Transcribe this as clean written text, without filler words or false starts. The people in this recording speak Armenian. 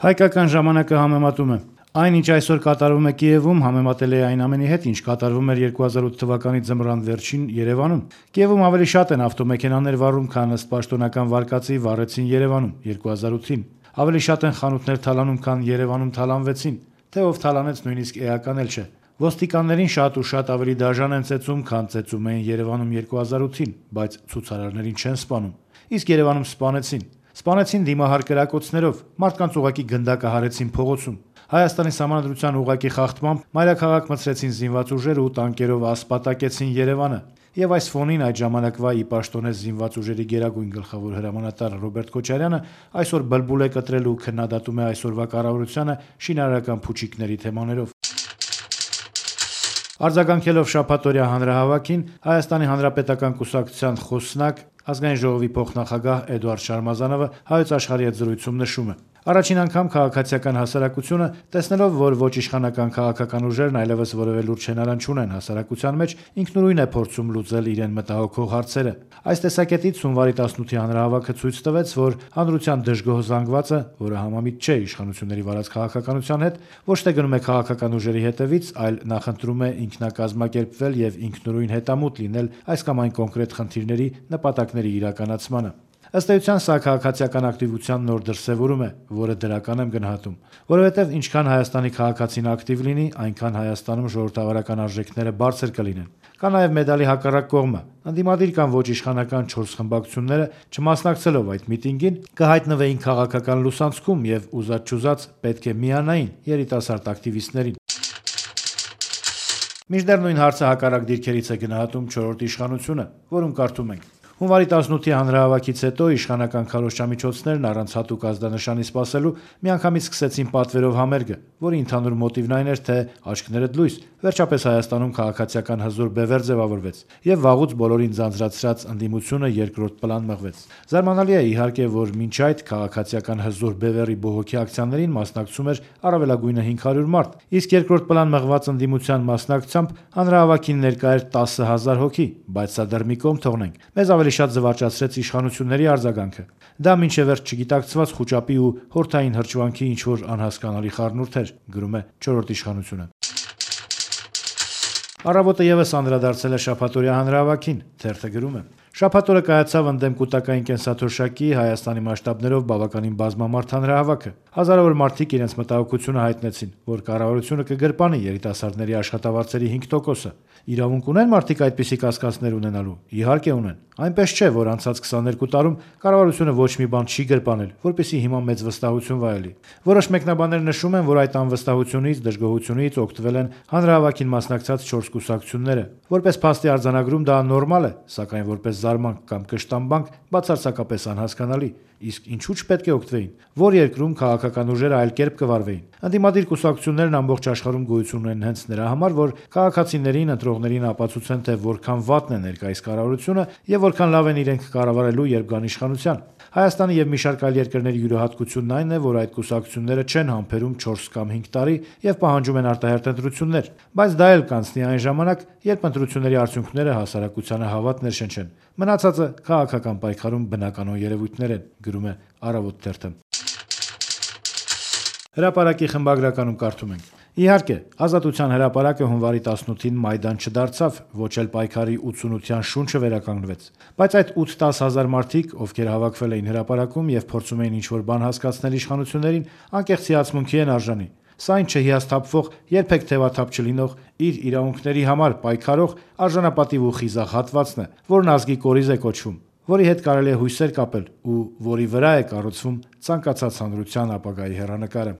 Հայկական ժամանակը համեմատում է. այն, ինչ այսօր կատարվում է Կիևում, համեմատել է այն ամենի հետ, ինչ կատարվում էր 2008 թվականի ձմռան վերջին Երևանում։ Կիևում ավելի շատ են ավտոմեքենաներ վառում, քան ըստ պաշտոնական վարկածի վառեցին Երևանում 2008-ին։ Ավելի շատ են խանութներ թալանում, քան Երևանում թալանվեցին, թե ով թալանեց նույնիսկ էական էլ չէ։ Ոստիկաններին շատ ու շատ ավելի դաժան են ծեծում, քան ծեծում էին Երևանում 2008-ին, բայց ցուցարարներին չեն սպանում։ Իսկ Երևանում սպանեցին դիմահար կրակոցներով, մարդկանց ուղղակի գնդակը հարեցին փողոցում։ Հայաստանի Սահմանադրության ուղղակի խախտմամբ մայրաքաղաք մտցրեցին զինված ուժեր ու տանկերով ասպատակեցին Երևանը։ Եվ այս ֆոնին այդ ժամանակվա ի պաշտոնես զինված ուժերի գերագույն գլխավոր հրամանատար Ռոբերտ Քոչարյանը այսօր բլբուլ է կտրել ու քննադատում է այսօրվա կառավարությանը շինարարական փուչիկների թեմաներով։ Արձագանքելով շաբաթօրյա հանրահավաքին, Հայաստանի Հանրապետական կուսակցության խոսնակ, Ազգային ժողովի փոխնախագահ Էդուարդ Շարմազանովը Հայոց Աշխարհի հետ զրույցում նշում է. Առաջին անգամ քաղաքացիական հասարակությունը, տեսնելով, որ ոչ իշխանական քաղաքական ուժերն այլևս որևէ լուրջ հենարան չունեն հասարակության մեջ, ինքնուրույն է փորձում լուծել իրեն մտահոգող հարցերը։ Այս տեսակետից հունվարի 18-ի հանրահավաքը ցույց տվեց, որ հանրության դժգոհ զանգվածը, որը համամիտ չէ իշխանությունների վարած քաղաքականության հետ, ոչ թե գնում է քաղաքական ուժերի հետևից, այլ նախընտրում է ինքնակազմակերպվել եւ ինքնուրույն հետամուտ լինել այս կամ այն կոնկրետ խնդիրների, նպատակների իրականացմանը։ Ըստ էության, սա քաղաքացիական ակտիվության նոր դրսևորում է, որը դրական եմ գնահատում, որովհետև ինչքան Հայաստանի քաղաքացին ակտիվ լինի, այնքան Հայաստանում ժողովրդավարական արժեքները բարձր կլինեն։ Կա նաև մեդալի հակառակ կողմը։ Ընդդիմադիր կամ ոչ իշխանական 4 խմբակցությունները, չմասնակցելով այդ միտինգին, կհայտնվեին քաղաքական լուսանցքում եւ ուզած-չուզած պետք է միանային երիտասարդ ակտիվիստներին։ Մինչդեռ նույն հարցը հակառակ դիրքերից է գնահատում 4-րդ իշխանությունը, որում կարդում ենք. Հունվարի 18-ի հանրահավաքից հետո իշխանական քարոզչամիջոցներն առանց հատուկ ազդանշանի սպասելու միանգամից սկսեցին պատվերով համերգը, որի ընդհանուր մոտիվն այն էր, թե աչքներդ լույս, վերջապես Հայաստանում քաղաքացիական հզոր բևեռ ձևավորվեց, եւ վաղուց բոլորին ձանձրացրած ընդդիմությունը երկրորդ պլան մղվեց։ Զարմանալի է իհարկե, որ մինչ այդ քաղաքացիական հզոր բևեռի բողոքի ակցիաներին մասնակցում էր առավելագույնը 500 մարդ, իսկ երկրորդ պլան մղված ընդդիմության մասնակցությամբ հանրահավաքին ներկա էր 10,000 հոգի, բայց սա դեռ մի կողմ թողնենք։ Մեզ ավելի շատ զվարճացրեց իշխանությունների արձագանքը։ Դա մինչև վերջ չգիտակցված խուճապի ու հորթային հրճվանքի ինչ-որ անհասկանալի խառնուրդ էր, գրում է 4-րդ իշխանությունը։ Առավոտը եւս անդրադարձել է շաբաթօրյա հանրահավաքին, թերթը գրում է. Շաբաթ օրը կայացավ ընդդեմ կուտակային կենսաթոշակի Հայաստանի մասշտաբներով բավականին բազմամարդ հանրահավաքը։ Հազարավոր մարդիկ իրենց մտահոգությունը հայտնեցին, որ կառավարությունը կգրպանի երիտասարդների աշխատավարձերի 5%-ը։ Իրավունք ունեն մարդիկ այդպիսի կասկածներ ունենալու։ Իհարկե ունեն։ Այնպես չէ, որ անցած 22 տարում կառավարությունը ոչ մի բան չի գրպանել, որպեսզի հիմա մեծ վստահություն վայելի։ Որոշ մեկնաբաններ նշում են, որ այդ անվստահությունից, դժգոհությունից օգտվել են հանրահավաքին մասնակցած 4 կուսակցությունները։ Որպես փաստի արձանագրում դա նորմալ է, սակայն որպես զարմանք կամ կշտամբանք բացարձակապես անհասկանալի։ Իսկ ինչու՞ չպետք է օգտվեին։ Որ երկրում քաղաքական ուժերը այլ կերպ կվարվեին։ Ընդդիմադիր կուսակցություններն ամբողջ աշխարհում գոյություն ունեն հենց նրա համար, որ քաղաքացիներին, ընտրողներին ապացուցեն, թե որքան վատն է ներկայիս կառավարությունը եւ որքան լավ են իրենք կառավարելու, երբ գան իշխանության։ Հայաստանի եւ մի շարք այլ երկրների յուրահատկությունն այն է, որ այդ կուսակցությունները չեն համբերում 4 կամ 5 տարի եւ պահանջում են արտահերթ ընտրություններ, բայց դա էլ կանցնի այն ժամանակ, երբ ընտրությունների արդյունքները հասարակությանը հավատ ներշնչեն։ Մնացածը քաղաքական պայքարում բնականon երևույթներ են, գրում է Առավոտ թերթը։ Հրապարակի խմբագրականում կարդում ենք. Իհարկե, Ազատության հրապարակը հունվարի 18-ին Մայդան չդարձավ, ոչ էլ պայքարի 88-յան շունչը վերականգնվեց, բայց այդ 8-10 հազար մարդիկ, ովքեր հավաքվել էին հրապարակում եւ փորձում էին ինչ-որ բան հասկացնել իշխանություններին, անկեղծ հիացմունքի են արժանի։ Սա այն չհիասթափվող, երբեք թևաթափ չլինող, իր իրավունքների համար պայքարող արժանապատիվ ու խիզախ հատվածն է, որն ազգի կորիզ է կոչվում, որի հետ կարելի է հույսեր կապել ու որի վրա է կառուցվում ցանկացած հանրության ապագայի հեռանկարը։